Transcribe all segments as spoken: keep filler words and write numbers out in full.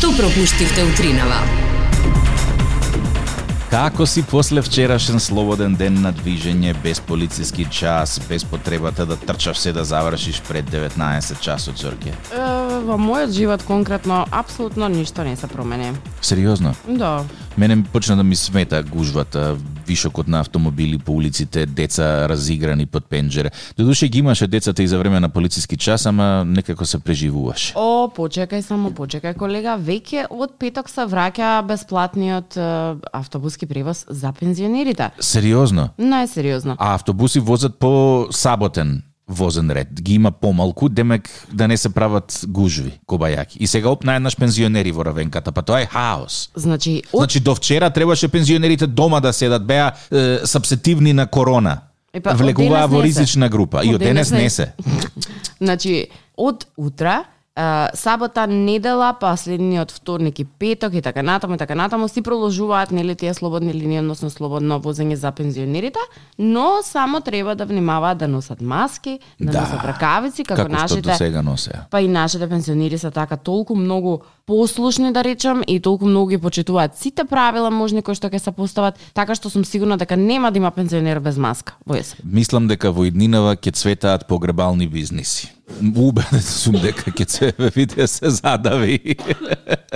Што пропуштивте утринава? Како си после вчерашен слободен ден на движење, без полициски час, без потребата да трчаш се да завршиш пред деветнаесет часот, Зорке? Е, во мојот живот конкретно апсолутно ништо не се промени. Сериозно? Да. Мене почна да ми смета гужвата, вишокот на автомобили по улиците, деца разиграни под пенџере. Додуше ги имаше децата и за време на полициски час, ама некако се преживуваше. О, почекај само, почекај колега, веќе од петок се враќа бесплатниот е, автобуски превоз за пензионерите. Сериозно? Најсериозно. А автобуси возат по саботен возен ред. Ги има помалку, демек да не се прават гужви, кобајаки. И сега оп наеднаш пензионери во Равенката, па тоа е хаос. Значи, од... Значи до вчера требаше пензионерите дома да седат, беа е, сапсетивни на корона. Епа, влегуваа во ризична група. И од денес не се. Значи, од утра, Uh, сабота, недела, последниот вторник и петок и така натаму и така натаму си продолжуваат нели тие слободни линии, односно слободно возење за пензионерите, но само треба да внимаваат да носат маски, да, да носат ракавици, како, како нашите. што до сега носеа. Па и нашите пензионери се така толку многу послушни, да речам, и толку многу ги почитуваат сите правила можни кои што ќе се постават, така што сум сигурна дека нема да има пензионер без маска во ЕС. Мислам дека во иднинава ќе цветаат погребални бизниси. Убеден сум дека ќе се виде се задави.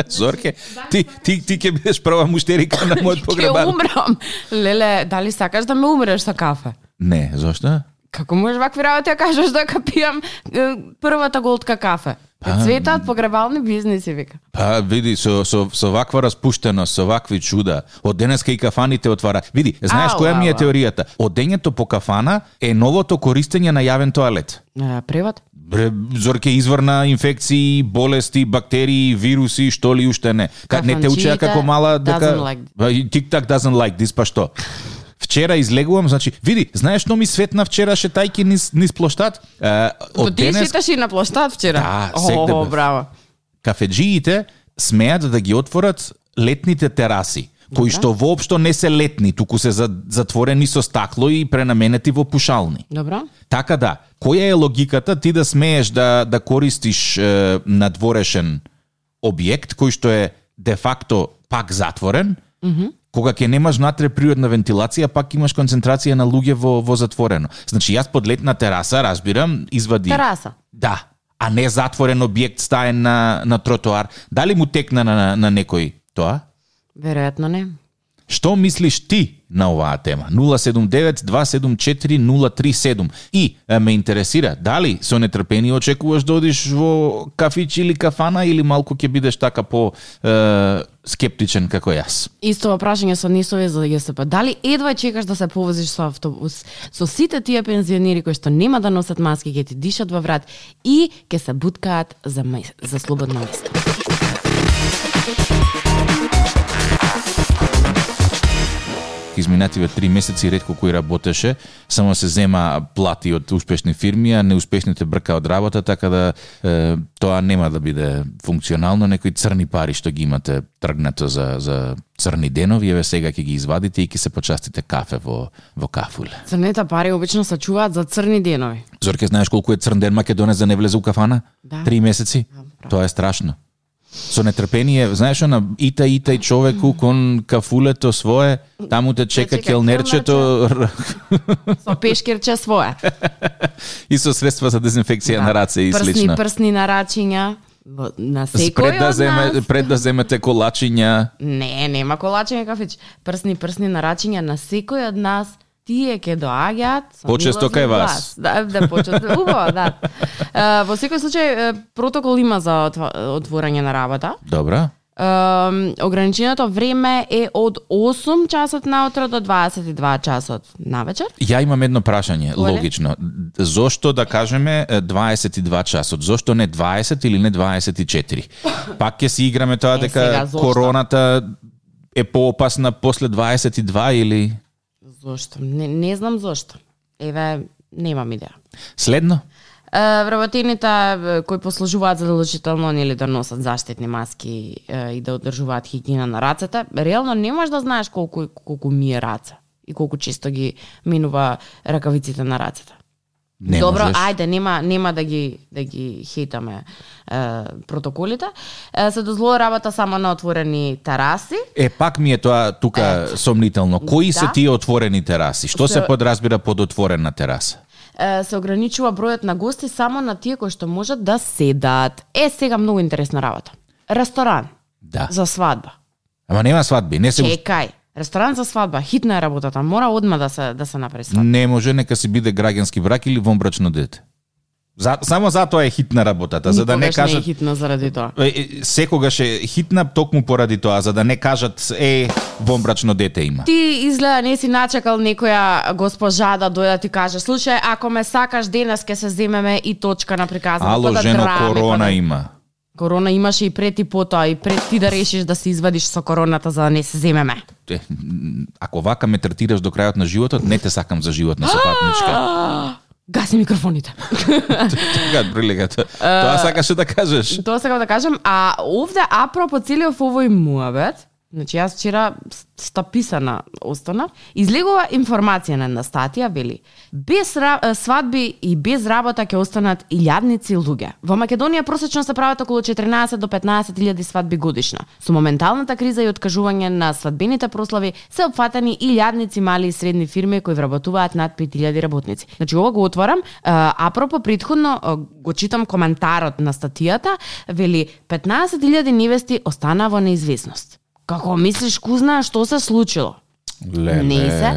Зорке, ти ти ти ќе бидеш прва муштерика на мојот погребал. Ќе умрам. Леле, дали сакаш да ме умреш со кафе? Не, зошто? Како можеш вакви работи да кажеш дека пијам е, првата голтка кафе? Па, цветаат погребални бизниси, вика. Па, види, со, со, со ваква распуштеност, со вакви чуда, од денеска и кафаните отвара. Види, знаеш ау, која ми е ау. теоријата? Одењето по кафана е новото користење на јавен тоалет. Е, превод? Бре, Зорке, изврна инфекции, болести, бактерии, вируси, што ли уште не. Ка, не те учеа како мала дека like TikTok doesn't like this, па што? Вчера излегувам, значи, види, знаеш што ми светна вчера шетајки низ, низ плоштад? Е, од ти денес... шеташ и на плоштад вчера? Да, сегде. О, браво. Кафеджиите смеат да ги отворат летните тераси, кои што воопшто не се летни, туку се затворени со стакло и пренаменети во пушални. Добро. Така да, која е логиката ти да смееш да, да користиш е, надворешен објект, кој што е де факто пак затворен, Mm-hmm. кога ќе немаш внатре природна вентилација, пак имаш концентрација на луѓе во, во затворено. Значи, јас под летна тераса, разбирам, извади... Тераса? Да, а не затворен објект стаен на, на тротоар. Дали му текна на, на, на некој тоа? Веројатно не. Што мислиш ти на оваа тема? нула седум девет два седум четири нула три седум. И е, ме интересира, дали со нетрпение очекуваш да одиш во кафич или кафана или малку ќе бидеш така по е, скептичен како јас? Исто прашање со нисове за ЈСП. Дали едва чекаш да се повозиш со автобус со сите тие пензионери кои што нема да носат маски, ќе ти дишат во врат и ќе се буткаат за, за слободно место? Изминативе три месеци ретко кој работеше, само се зема плати од успешни фирми, а неуспешните брка од работа, така да е, тоа нема да биде функционално. Некои црни пари што ги имате тргнато за, за црни денови, еве сега ќе ги извадите и ќе се почастите кафе во, во кафуле. Црните пари обично се чуваат за црни денови. Зорке, знаеш колку е црн ден македонец да не влезе у кафана? Да. Три месеци? Да, тоа е страшно. Со нетрпение, знаеш она, ита ита и човеку кон кафулето свое, таму те чека, чека келнерчето со пешкерче свое и со средства за дезинфекција да. На раце и прсни, слично. Прсни нарачиња на секој пред да од земе, нас. Пред да земете колачиња. Не, нема колачиња кафич. Прсни прсни нарачиња на секој од нас. Тие ќе доаѓаат со почесто кај вас. Да, да почесто. Убаво, да. Uh, во секој случај протокол има за отворање на работа. Добра. Uh, ограниченото време е од осум часот наутро до дваесет и два часот навечер. Ја имам едно прашање, Оле? логично. Зошто да кажеме дваесет и два часот? Зошто не дваесет или не дваесет и четири? Пак ќе си играме тоа е, дека сега, короната е поопасна после дваесет и два или... Зошто? Не, не знам зошто. Еве, немам идеја. Следно? Вработените кои послужуваат задолжително нели да носат заштитни маски е, и да одржуваат хигиена на рацете, реално не можеш да знаеш колку колку мие раце и колку често ги минува ракавиците на рацете. Не Добро, можеш. ајде, нема нема да ги да ги хейтаме е, протоколите. Е, се дозволи работа само на отворени тераси. Е, пак ми е тоа тука Ето. сомнително. Кои Да. се тие отворени тераси? Што се, Се- подразбира под отворена тераса? Е, се ограничува бројот на гости само на тие кои што можат да седат. Е, сега многу интересна работа. Ресторан Да. за свадба. Ама нема свадби, не се Чекај, ресторан за свадба, хитна е работата, мора одма да се да се направи свадба. не може, нека си биде граѓански брак или вонбрачно дете. За, само затоа е хитна работата, за да не Никогаш не е кажат хитно заради тоа. Е, е, секогаш е хитна токму поради тоа, за да не кажат е вонбрачно дете има. Ти изгледа не си начекал некоја госпожа да дојде да ти каже, слушај, ако ме сакаш денес ќе се земеме и точка на приказната. Ало, па да жено, драми, корона па да... има. Корона имаше и пред и потоа, и пред ти да решиш да се извадиш со короната за да не се земеме. Е, ако вака ме третираш до крајот на животот, не те сакам за животна сопатничка. Гаси микрофоните. Така, приликата. Тоа сакаше да кажеш. Тоа сакам да кажам, а овде апропо целиот овој муабет, значи јас вчера стаписана остана, излегува информација на една статија, вели, без ра- свадби и без работа ќе останат илјадници луѓе. Во Македонија просечно се прават околу четиринаесет до петнаесет илјади свадби годишно. Со моменталната криза и откажување на свадбените прослави се опфатени илјадници мали и средни фирми кои вработуваат над пет илјади работници. Значи ова го отварам, а, апропо претходно а, го читам коментарот на статијата, вели петнаесет илјади невести останаа во неизвестност. Како мислиш, кузна, што се случило? Леле. Не се.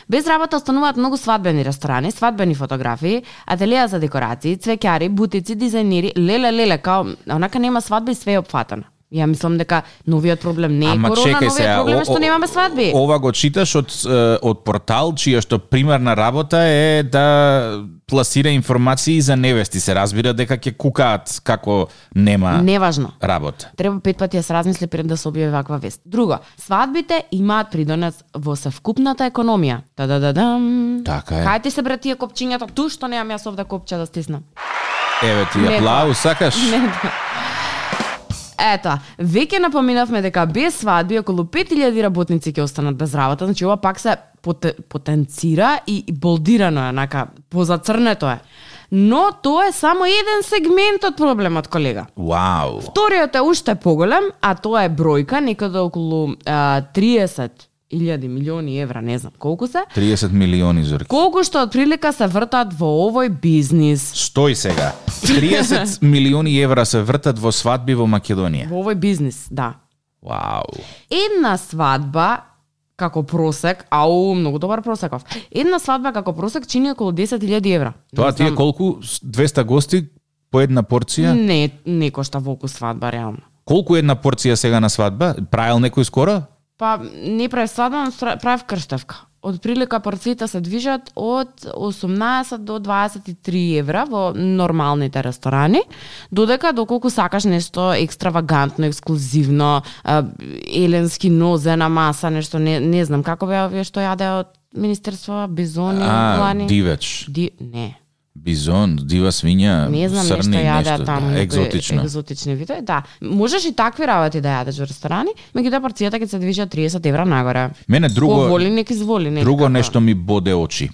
Без работа остануваат многу свадбени ресторани, свадбени фотографии, ателија за декорации, цвеќари, бутици, дизајнери, леле, леле, као, онака нема свадби и све е опфатано. Ја мислам дека новиот проблем не е Ама корона, чекај новиот сега, проблем е о- што о- немаме свадби. Ова го читаш од е, од портал чија што примарна работа е да пласира информации за невести. Се разбира дека ќе кукаат како нема Неважно. работа. Треба пет пати да се размисли пред да се објави ваква вест. Друго, свадбите имаат придонес во севкупната економија. Та-да-да-дам. Така е. Кај ти се бре тие копчињата? Ту што немам јас овде копче да стиснам. Еве ти Не, аплауз, сакаш? Не, да. Ето, веќе напоминавме дека без свадби околу пет илјади работници ќе останат без работа, значи ова пак се поте, потенцира и и болдирано е, онака, позацрнето е. Но тоа е само еден сегмент од проблемот, колега. Вау. Вториот е уште поголем, а тоа е бројка, некаде околу а, триесет илјади милиони евра, не знам колку се, триесет милиони зорки. колку што од прилика се вртат во овој бизнис. Стој сега. триесет милиони евра се вртат во свадби во Македонија. Во овој бизнис, да. Вау. Една свадба како просек, ау, многу добар просеков. Една свадба како просек чини околу десет илјади евра. Тоа Не ти е знам, колку? двеста гости по една порција? Не, не кошта волку свадба, реално. Колку е една порција сега на свадба? Правил некој скоро? Па, не прави свадба, но стра- правив крштевка. Од прилика порциите се движат од осумнаесет до дваесет и три евра во нормалните ресторани, додека доколку сакаш нешто екстравагантно, ексклузивно, а, еленски нозе на маса, нешто не, не знам како беа овие што јаде од Министерство, бизони, А, лани. дивеч. Ди... Не. Бизон, дива свиња, Не знам нешто срни, јаде нешто, таму, да, некои екзотично. екзотични видови. Да, можеш и такви работи да јадеш во ресторани, меѓутоа порцијата ќе се движи од триесет евра нагоре. Мене друго Ко воли, нека изволи, нека. Друго нешто ми боде очи. Е,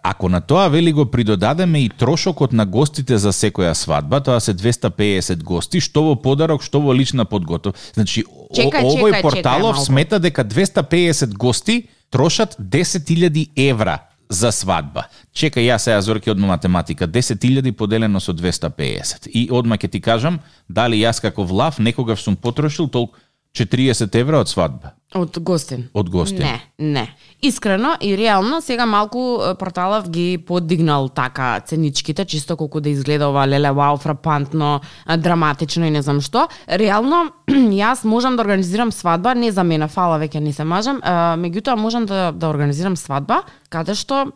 ако на тоа вели го придодадеме и трошокот на гостите за секоја свадба, тоа се двеста пеесет гости, што во подарок, што во лична подготов. Значи, Чекај, о, овој чекај, порталов чекај малку. смета дека двеста пеесет гости трошат десет илјади евра за свадба. Чекај, јас сега Зорки одма математика, десет илјади поделено со двеста пеесет. И одма ќе ти кажам, дали јас како влав некогаш сум потрошил толку четириесет евра од свадба, Од гостин. од гостин. Не, не. Искрено и реално сега малку е, порталов ги подигнал така ценичките, чисто колку да изгледа ова леле вау фрапантно, а, драматично и не знам што. Реално јас можам да организирам свадба, не за мене, фала веќе не се мажам, а, меѓутоа можам да да организирам свадба каде што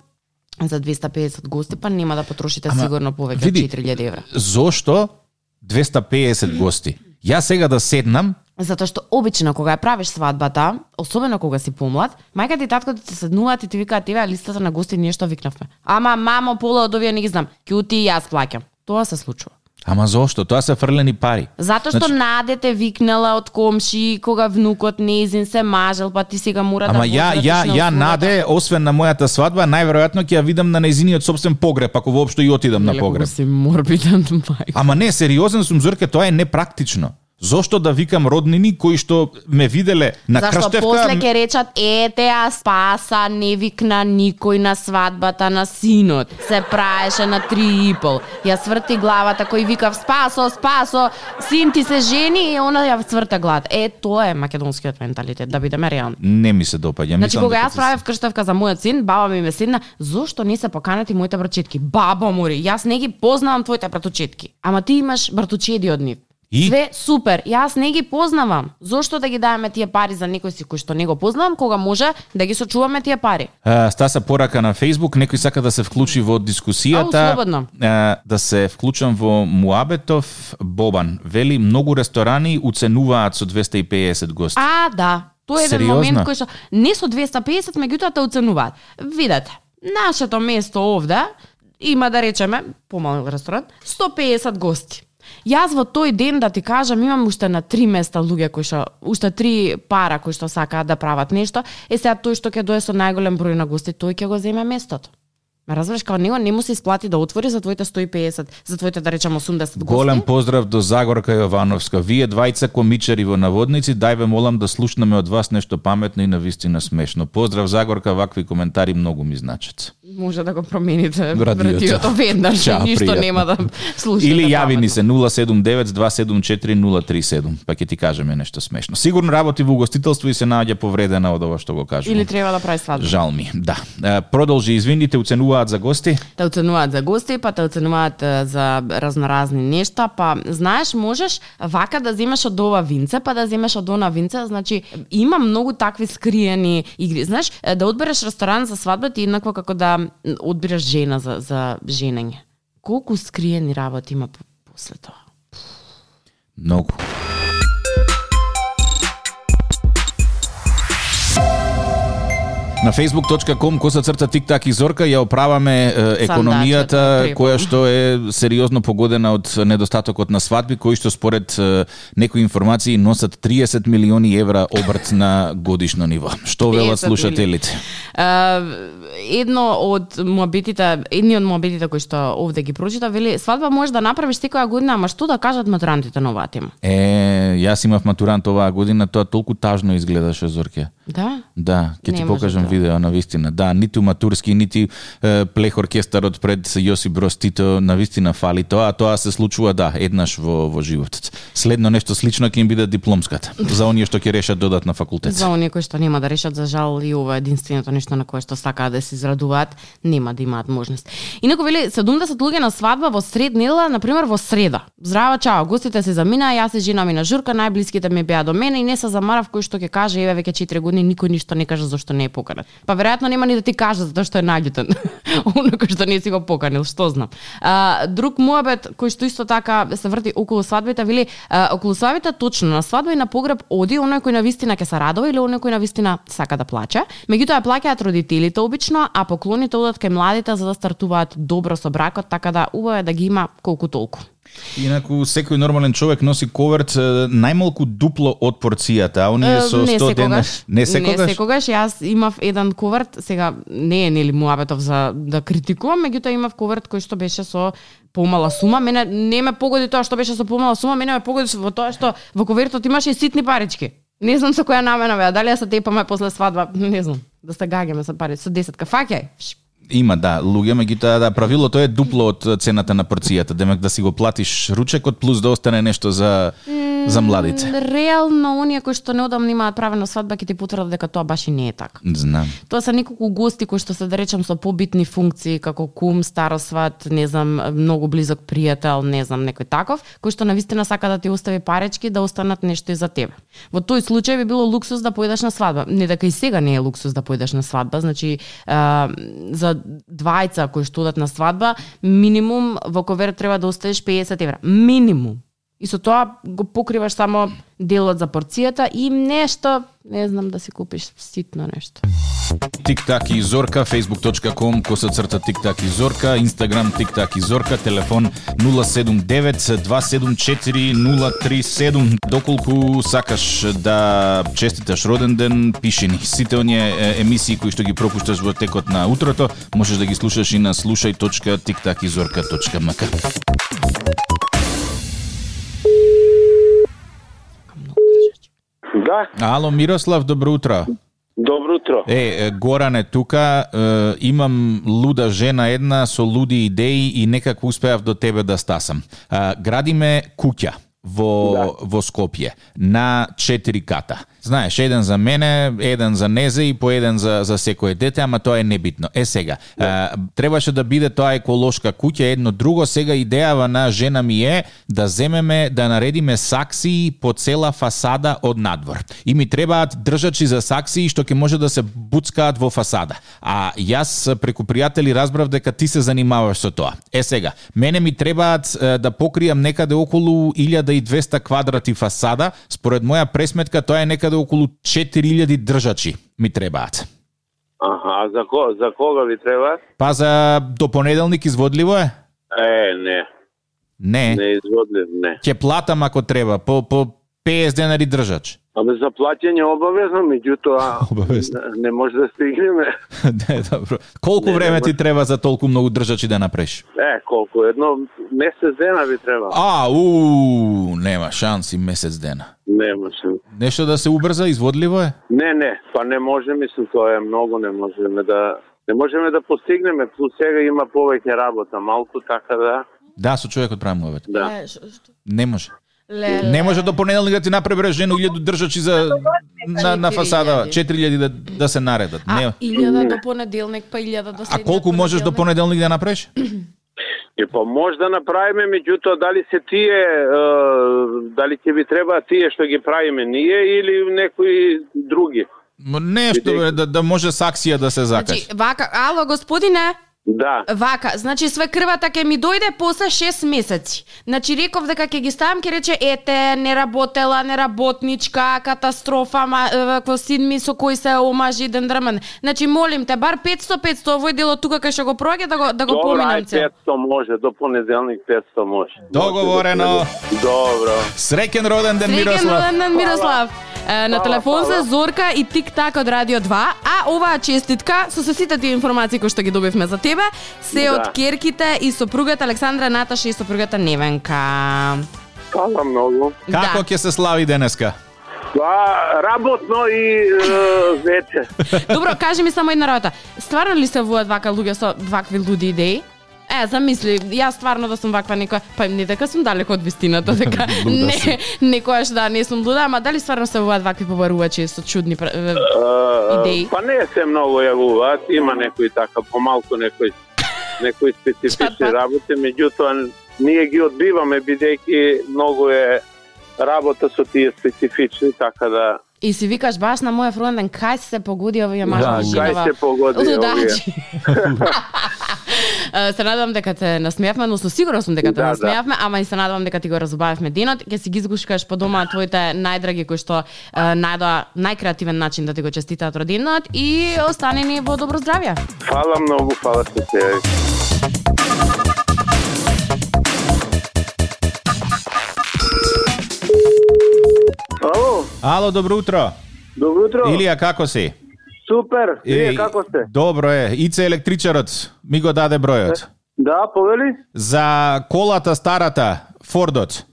за двеста пеесет гости па нема да потрошите Ама, сигурно повеќе од види, четири илјади евра. Зошто двеста пеесет гости? Јас сега да седнам, Затоа што обично кога ја правиш свадбата, особено кога си помлад, мајка ти и таткото ти седнуваат и ти викаат еве листата на гости нешто викнавме. Ама мамо пола од овие не ги знам. Кјути и јас плаќам. Тоа се случува. Ама зошто? Тоа се фрлени пари. Затоа што значи... надете викнала од комши кога внукот неизин се мажел, па ти сега мора Ама да ја ја ја наде, освен на мојата свадба, најверојатно ќе ја видам на нејзиниот собствен погреб, ако воопшто и отидам на погреб. Си морбиден мајка. Ама не, сериозен сум, Зорке, тоа е непрактично. Зошто да викам роднини кои што ме виделе на Зашто крштевка? Зашто после ќе речат, ете, а Спаса не викна никој на свадбата на синот. Се праеше на три и пол. Ја сврти главата кој викав Спасо, Спасо, син ти се жени и она ја сврта главата. Е, тоа е македонскиот менталитет, да бидеме реални. Не ми се допаѓа. Значи, кога јас правев крштевка за мојот син, баба ми ме седна, зошто не се поканети моите братчетки? Баба мори, јас не ги познавам твоите братучетки. Ама ти имаш братучеди од нив. И? Све супер, јас не ги познавам. Зошто да ги даваме тие пари за некој си кој што не го познавам, кога може да ги сочуваме тие пари? А, Стаса порака на Facebook, некој сака да се вклучи во дискусијата. Ау, слободно. А, да се вклучам во Муабетов Бобан. Вели, многу ресторани уценуваат со двесте и песет гости. А, да. Тоа е еден Сериозно? момент кој што не со двесте и песет, меѓутоа те уценуваат. Видете, нашето место овде има, да речеме, помал ресторан, сто и песет гости. Јас во тој ден, да ти кажам, имам уште на три места луѓе кои што, уште три пара кои што сакаат да прават нешто, е сега тој што ќе дое со најголем број на гости, тој ќе го земе местото. Ме разбираш, као него не му се исплати да отвори за твоите сто и песет, за твоите, да речем, осумдесет гости. Голем поздрав до Загорка Јовановска. Вие двајца комичари во наводници, дај ве молам да слушнеме од вас нешто паметно и навистина смешно. Поздрав Загорка, вакви коментари многу ми значат. Може да го промените радиото, радиото веднаш, Чао, ништо пријатно. нема да слушате. Или јави паметно. ни се нула седум девет два седум четири нула три седум, па ќе ти кажеме нешто смешно. Сигурно работи во угостителство и се наоѓа повредена од ова што го кажувам. Или треба да прави свадба. Жал ми, да. Е, Продолжи, извините, уценуваат за гости? Те оценуваат за гости, па те оценуваат е, за разноразни нешта, па знаеш, можеш вака да земеш од ова винце, па да земеш од она винце, значи има многу такви скриени игри. Знаеш, е, да одбереш ресторан за свадба ти еднакво како да одбереш жена за за женење. Колку скриени работи има после тоа? Многу. На facebook точка com коса црта тик-так и Зорка ја оправаме е, економијата Сандачето, која што е сериозно погодена од недостатокот на свадби, кои што според е, некои информации носат триесет милиони евра обрт на годишно ниво. Што велат слушателите? Uh, едно од муабетите, едни од муабетите кои што овде ги прочита, вели свадба можеш да направиш секоја година, ама што да кажат матурантите на оваа тема? Е, јас имав матурант оваа година, тоа толку тажно изгледаше, Зорке. Да? Да, ќе ти Не покажам може да. видео на вистина. Да, ниту матурски, нити е, плех оркестарот пред Јосип Броз Тито на вистина фали тоа, а тоа се случува да, еднаш во во животот. Следно нешто слично ќе им биде дипломската за оние што ќе решат додат на факултет. За оние кои што нема да решат, за жал и ова е единственото нешто на кое што сакаат да се израдуваат, нема да имаат можност. Инаку вели седумдесет луѓе на свадба во сред недела, на пример во среда. Здраво, чао, гостите се заминаа, јас се жена ми на журка, најблиските ми беа до мене и не се замарав кој што ќе каже еве веќе четири години никој ништо не кажа зашто не е поканет. Па веројатно нема ни да ти каже затоа што е наљутен. Оно кој што не си го поканил, што знам. А, друг муабет кој што исто така се врти околу свадбите, вели а, околу свадбите точно на свадба и на погреб оди оној кој на вистина ќе се радува или оној кој на вистина сака да плаче. Меѓутоа плаќаат родителите обично, а поклоните одат кај младите за да стартуваат добро со бракот, така да убаво е да ги има колку толку. Инаку секој нормален човек носи коверт најмалку дупло од порцијата, а оние со не сто дена не секогаш. Не секогаш, јас имав еден коверт, сега не е нели муабетов за да критикувам, меѓутоа имав коверт кој што беше со помала сума. Мене не ме погоди тоа што беше со помала сума, мене ме погоди во тоа што во ковертот имаше и ситни парички. Не знам со која намена беа, дали ја се тепаме после свадба, не знам. Да се гагаме со пари, со десетка, фаќај. Има, да, луѓе, меѓутоа да, правилото е дупло од цената на порцијата, демек да си го платиш ручекот плюс да остане нешто за за младите. Реално оние кои што неодамна имаат правена свадба ќе ти потврдат дека тоа баш и не е така. Знам. Тоа се неколку гости кои што се да речам со побитни функции како кум, старосват, не знам, многу близок пријател, не знам, некој таков, кој што навистина сака да ти остави паречки да останат нешто и за тебе. Во тој случај би било луксус да појдеш на свадба. Не дека и сега не е луксус да појдеш на свадба, значи а, за двајца кои што одат на свадба, минимум во коверт треба да оставиш песет евра. Минимум. И со тоа го покриваш само делот за порцијата и нешто, не знам, да си купиш ситно нешто. Тик-так и Зорка, facebook точка com, коса црта Тик-так и Зорка, Инстаграм Тик-так и Зорка, телефон нула седум девет два седум четири нула три седум. Доколку сакаш да честиташ роден ден, пиши ни. Сите оние емисии кои што ги пропушташ во текот на утрото, можеш да ги слушаш и на слушај точка тик так и зорка точка ем ка. Да. Ало, Мирослав, добро утро. Добро утро. Е, Горан е тука, е, имам луда жена една со луди идеи и некако успеав до тебе да стасам. Е, градиме куќа во, да. во Скопје на четири ката. Знаеш, еден за мене, еден за Незе и по еден за, за секое дете, ама тоа е небитно. Е сега, да. а, требаше да биде тоа еколошка куќа, едно друго. Сега идејава на жена ми е да земеме, да наредиме саксии по цела фасада од надвор. И ми требаат држачи за саксии што ќе може да се буцкаат во фасада. А јас преку пријатели разбрав дека ти се занимаваш со тоа. Е сега, мене ми требаат е, да покријам некаде околу илјада и двесте квадрати фасада. Според моја пресметка тоа е некаде околу четири илјади држачи ми требаат. Аха, а за, ко, за кога ви треба? Па за до понеделник изводливо е? Е, не. Не. Не изводлив, не. Ќе платам ако треба, по, по песет денари држач. Абе за плаќање обавезно, меѓутоа Обавезно. не, не може да стигнеме. Не, добро. Колку Не, време не ти може. треба за толку многу држачи да направиш? Е, колку? Едно месец дена ви треба. А, у, нема шанси месец дена. Не може. Нешто да се убрза, изводливо е? Не, не, па не може, мислам, тоа е многу, не можеме да не можеме да постигнеме, плюс сега има повеќе работа, малку, така да. Да, со човекот правим овет. Да. Е, шо- што? Не може. Леле. Не може до понеделник да ти направи жено илјаду држачи за на, на фасада, четири илјади да, да се наредат. А, Не. илјада до понеделник, па илјада до А следниот колку можеш до понеделник да направиш? И па може да направиме, меѓутоа дали се тие, е, дали ќе ви треба тие што ги правиме ние или некои други? М, Нешто бе, да, да може саксија да се закачи. Значи, вака, ало, господине, Да. вака, значи све крвата ќе ми дојде после шест месеци. Значи реков дека ќе ги ставам, ќе рече ете, не работела, неработничка, катастрофа, ма, е, во син ми со кој се омажи ден дрмен. Значи молим те, бар петсто петсто овој дел од тука кај што го проаѓа да го да го Добро, поминам ај цел. петсто може, до понеделник петсто може. Договорено. Добро. Среќен роден ден, Среќен Мирослав. роден ден, Мирослав. Е, На Фала, телефон се фала. Зорка и Тик-так од Радио два, а оваа честитка со се сите тие информации кои што ги добивме за тебе, се Да. од керките и сопругата Александра, Наташа и сопругата Невенка. Фала многу. Како ќе се слави денеска? Па, работно и е, вече. Добро, кажи ми само една работа. Стварно ли се воат вака луѓе со вакви луди идеи? Е, замисли, јас стварно да сум ваква некоја, па не дека сум далеко од вистината, дека Луда не, си. некојаш да не сум луда, ама дали стварно се воат вакви побарувачи со чудни пр- е, Е, идеи? Па не се многу јавуваат, има некои така, помалку некои некои специфични Чата. работи, меѓутоа ние ги одбиваме бидејќи многу е работа со тие специфични, така да И си викаш баш на мојот роденден, кај се погоди овие Да, мажи кај се погоди овие. лудачи. Е, Се надевам дека те насмеавме, но со сигурно сум дека те Да, да. насмеавме, ама и се надевам дека ти го разубавивме денот. Ќе си ги изгушкаш по дома твоите најдраги кои што е, најдоа најкреативен начин да ти го честитаат роденденот и остани ни во добро здравје. Фала многу, фала што се јави. Ало, Ало, добро утро. добро утро. Илија, како си? Супер, вие како сте? Добро е. Ице електричарот ми го даде бројот. Да, повели? За колата старата, Фордот.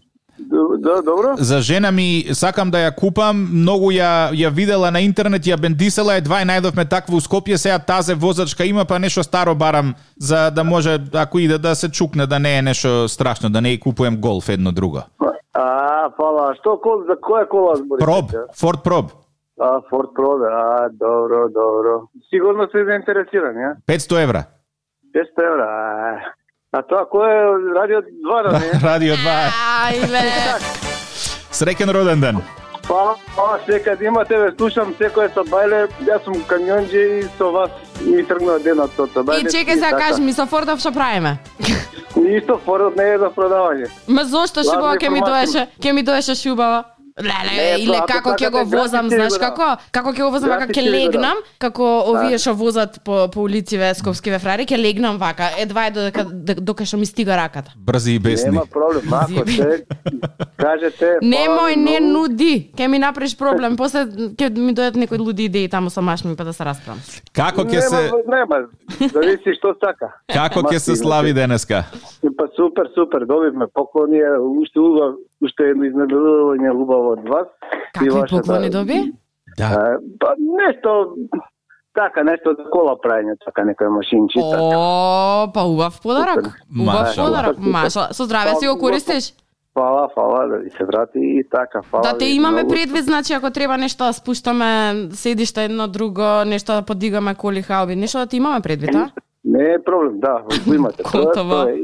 Да, добро. За жена ми сакам да ја купам, многу ја ја видела на интернет, ја бендисела, едва и најдовме таква у Скопје, сега тазе возачка има, па нешто старо барам за да може ако иде да се чукне, да не е нешто страшно, да не и купуем Голф едно друго. А, фала. Што кол, за која кола зборите? Проб, Форд Проб. А, Форд Проб, а, добро, добро. Сигурно сте заинтересирани, а? петсто евра. петсто евра, а. А тоа кој е Радио два, да не? Радио два. Ајле. Среќен роден ден. Фала, фала, секад имате, ве слушам секој со бајле, јас сум камионџи и со вас ми тргнува денот со бајле. И чекај сега кажи ми со Фордов што правиме? Исто Фордот не е за продавање. Ма зошто шубава Лажна ќе ми информација. доеше, ќе ми доеше шубава? Леле, или како ќе го возам, знаеш како? Како ќе го возам, вака ќе легнам, како овие што возат по по улициве скопскиве фрари, ќе легнам вака, едва е додека докај што ми стига раката. Брзи и бесни. Нема проблем, ако се кажете... Немој, не нуди, ќе ми направиш проблем, после ќе ми дојдат некои луди идеи таму со машми па да се расправам. Како ќе се Нема, зависи што сака. Како ќе се слави денеска? Па супер, супер, добивме поклони, уште убав, уште едно изненадување убаво од вас. Какви поклони доби? Да. Па нешто така, нешто за кола прајање, така некоја машинчица. О, па убав подарок. Убав Маша. подарок, маша. Со здраве си го користиш? Фала, фала, да ви се врати и така, фала. Да те ви имаме многу. предвид, значи ако треба нешто да спуштаме седиште едно друго, нешто да подигаме коли хауби, нешто да ти имаме предвид, а? Не е проблем, да, го имате. Готово. Тоа е.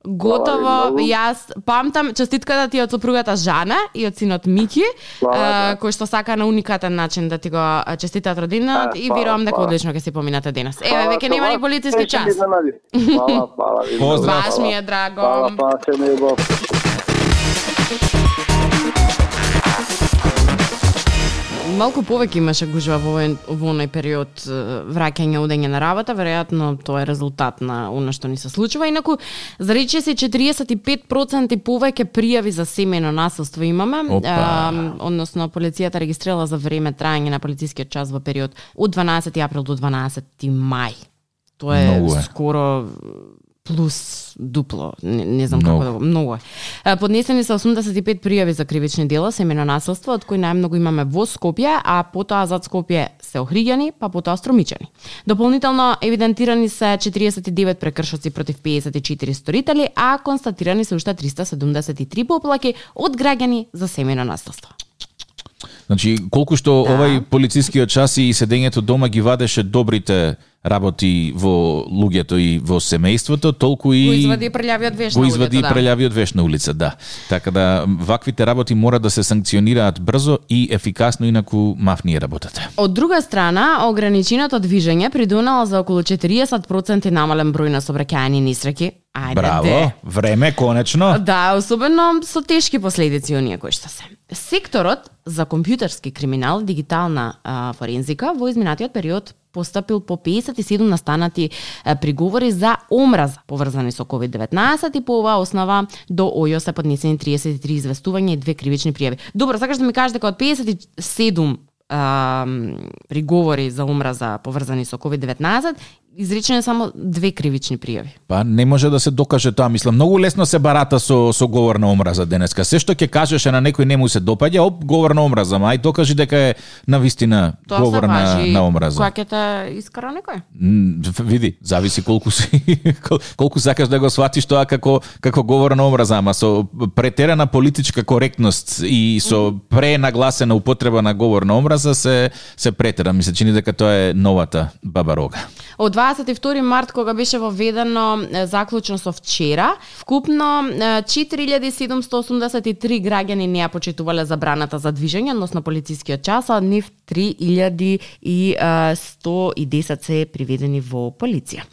Готово, Фала ви многу. јас памтам честитката ти од сопругата Жана и од синот Мики, Фала, а, да. кој што сака на уникатен начин да ти го а, честитаат родината А, и фала, верувам дека фала. одлично ќе си поминате денес. Еве, Фала, веќе нема ни това полициски се ми час. изненади. Фала, фала ви. Поздрав. многу, Баш фала. ми е драго. Фала, фала, се ми ебав. Малку повеќе имаше гужва во овој во оној период е, враќање одење на работа, веројатно тоа е резултат на она што ни се случува. Инаку зарече се четириесет и пет проценти повеќе пријави за семејно насилство имаме, Опа. односно полицијата регистрирала за време траење на полицискиот час во период од дванаесети април до дванаесети мај. Тоа е Многу е. скоро плюс дупло, не, не знам Многу. како да го, многу е. Е, Поднесени се осумдесет и пет пријави за кривични дела, семејно насилство, од кои најмногу имаме во Скопје, а потоа зад Скопје се Охриѓани, па потоа Струмичани. Дополнително евидентирани се четириесет и девет прекршоци против пеесет и четири сторители, а констатирани се уште триста седумдесет и три поплаки од граѓани за семејно насилство. Значи, колку што Да. овај полицискиот час и седењето дома ги вадеше добрите работи во луѓето и во семејството, толку и Го извади прелјавиот веш го на извади улицата, да. прелјавиот веш на улица, да. Така да ваквите работи мора да се санкционираат брзо и ефикасно, инаку мафни е работата. Од друга страна, ограниченото движење придонело за околу четириесет проценти намален број на сообраќајни несреќи. Ајде, Браво, де. време конечно. Да, особено со тешки последици оние кои што се. Секторот за компјутерски криминал, дигитална а, форензика во изминатиот период постапил по пеесет и седум настанати а, приговори за омраза поврзани со ковид деветнаесет и по оваа основа до ОЈО се поднесени триесет и три известувања и две кривични пријави. Добро, сакаш да ми кажеш дека од пеесет и седум а, приговори за омраза поврзани со ковид деветнаесет изречени само две кривични пријави. Па не може да се докаже тоа, мислам, многу лесно се барата со со говор на омраза денеска. Се што ќе кажеше на некој не му се допаѓа, оп, говор на омраза, мај докажи дека е на вистина Тоа говор се на важи на омраза. кога ќе те искара некој. М, Види, зависи колку си кол- колку сакаш да го сватиш тоа како како говор на омраза, ама со претерана политичка коректност и со пренагласена употреба на говор на омраза се се претера. Ми се чини дека тоа е новата баба рога. Од дваесет и втори март, кога беше воведено е, заклучно со вчера, вкупно е, четири илјади седумстотини осумдесет и три граѓани не ја почитувале забраната за движење, односно полицискиот час, а од нив три илјади сто и десет се приведени во полиција.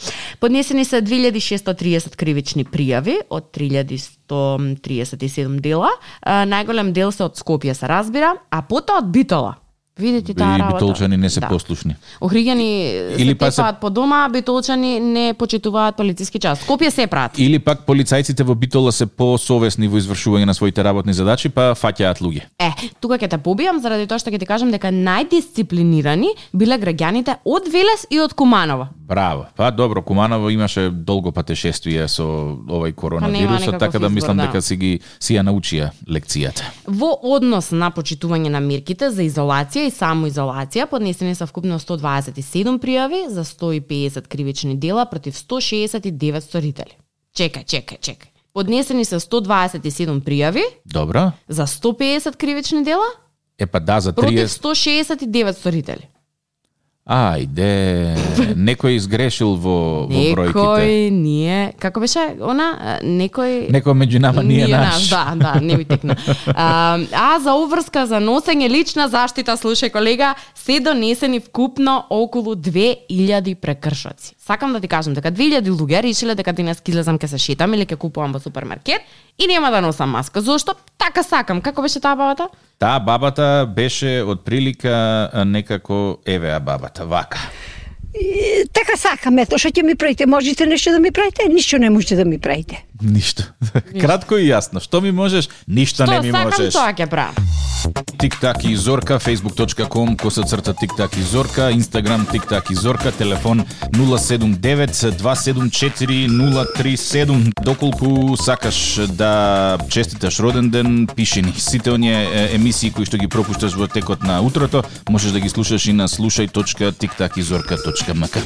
Поднесени се две илјади шестоста и триесет кривични пријави од три илјади сто триесет и седум дела. Е, Најголем дел се од Скопје се разбира, а потоа од Битола. Видите таа И работа. битолчани не се Да. послушни. Охриѓани Или се па се- тепаат по дома, а битолчани не почитуваат полициски час. Скопје се прават. Или пак полицајците во Битола се посовесни во извршување на своите работни задачи, па фаќаат луѓе. Е, тука ќе те побијам заради тоа што ќе ти кажам дека најдисциплинирани биле граѓаните од Велес и од Куманово. Браво. Па добро, Куманово имаше долго патешествие со овој коронавирусот, никаков така да избор, мислам да. дека си ги си ја научија лекцијата. Во однос на почитување на мерките за изолација и самоизолација, поднесени се вкупно сто дваесет и седум пријави за сто и пеесет кривични дела против сто шеесет и девет сторители. Чекај, чекај, чекај. Поднесени се сто дваесет и седум пријави Добро. за сто пеесет кривични дела Е па да, за против триесет. сто шеесет и девет сторители. Ајде, некој изгрешил во, во бројките. Некој ние, како беше она, а, некој Некој меѓу нама ние наш. Да, да, не ми текна. А, а за уврска за носење лична заштита, слушај колега, се донесени вкупно околу две илјади прекршоци. Сакам да ти кажам дека две илјади луѓе решиле дека денес ќе излезам ќе се шетам или ќе купувам во супермаркет и нема да носам маска. Зошто? Така сакам. Како беше таа бабата? Таа бабата беше од прилика некако евеа бабата, вака. И, така сакам, ето што ќе ми правите, можете нешто да ми правите, ништо не можете да ми правите. Ништо. Кратко и јасно. Што ми можеш? Ништо не ми можеш. Што сакам, тоа ќе правам. Тик-так и Зорка, facebook точка com, коса црта Тик-так и Зорка, Инстаграм Тик-так и Зорка, телефон нула седум девет два седум четири нула три седум. Доколку сакаш да честиташ роден ден, пиши ни. Сите оние емисии кои што ги пропушташ во текот на утрото, можеш да ги слушаш и на слушај точка тик так и зорка точка м к.